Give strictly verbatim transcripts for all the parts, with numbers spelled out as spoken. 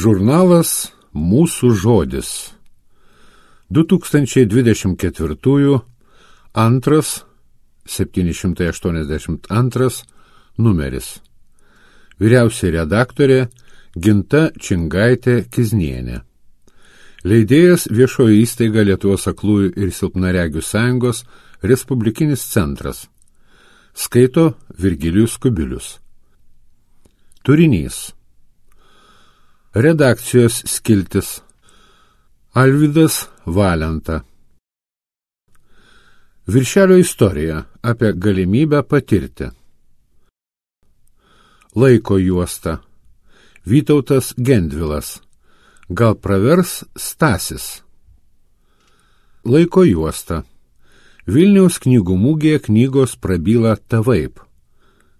Žurnalas Mūsų žodis. du tūkstančiai dvidešimt ketvirtųjų antras, septyni šimtai aštuoniasdešimt antras numeris. Vyriausioji redaktorė Ginta Čingaitė Kiznienė. Leidėjas viešoji įstaiga Lietuvos aklųjų ir silpnaregių sąjungos Respublikinis centras. Skaito Virgilijus Kubilius. Turinys. Redakcijos skiltis. Alvydas Valenta. Viršelio istorija apie galimybę patirti. Laiko juosta. Vytautas Gendvilas. Gal pravers Stasis. Laiko juosta. Vilniaus knygų mugėje knygos prabyla tavaip.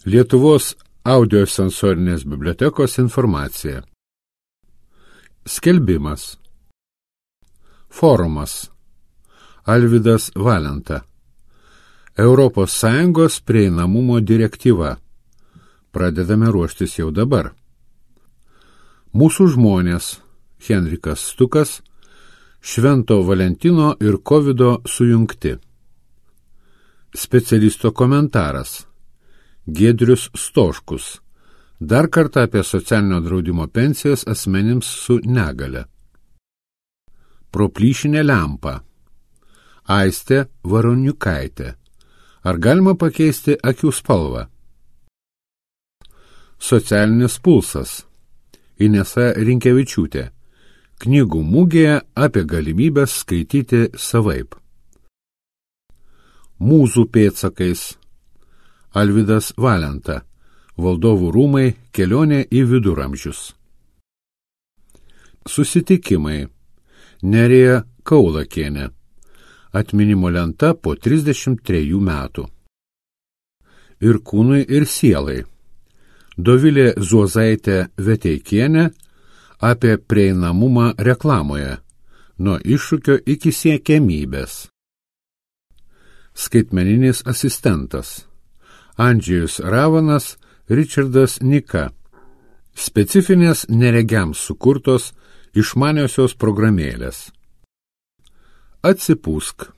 Lietuvos audiosensorinės bibliotekos informacija. Skelbimas. Forumas. Alvydas Valenta. Europos Sąjungos prieinamumo direktyva. Pradedame ruoštis jau dabar. Mūsų žmonės. Henrikas Stukas. Švento Valentino ir Kovido sujungti. Specialisto komentaras. Giedrius Stoškus. Dar kartą apie socialinio draudimo pensijas asmenims su negale. Proplyšinė lempa. Aistė Varoniukaitė. Ar galima pakeisti akių spalvą? Socialinis pulsas. Inesa Rinkevičiūtė. Knygų mugėje apie galimybės skaityti savaip. Mūzų pėdsakais. Alvydas Valenta. Valdovų rūmai, kelionė į viduramžius. Susitikimai. Nerija Kaulakienė. Atminimo lenta po trisdešimt trejų metų. Ir kūnui, ir sielai. Dovilė Zuozaitė Veteikienė apie prieinamumą reklamoje. Nuo iššūkio iki siekiamybės. Skaitmeninis asistentas. Andžejus Ravanas, Ričardas Nika. Specifinės neregiams sukurtos išmaniosios programėlės. Atsipūsk.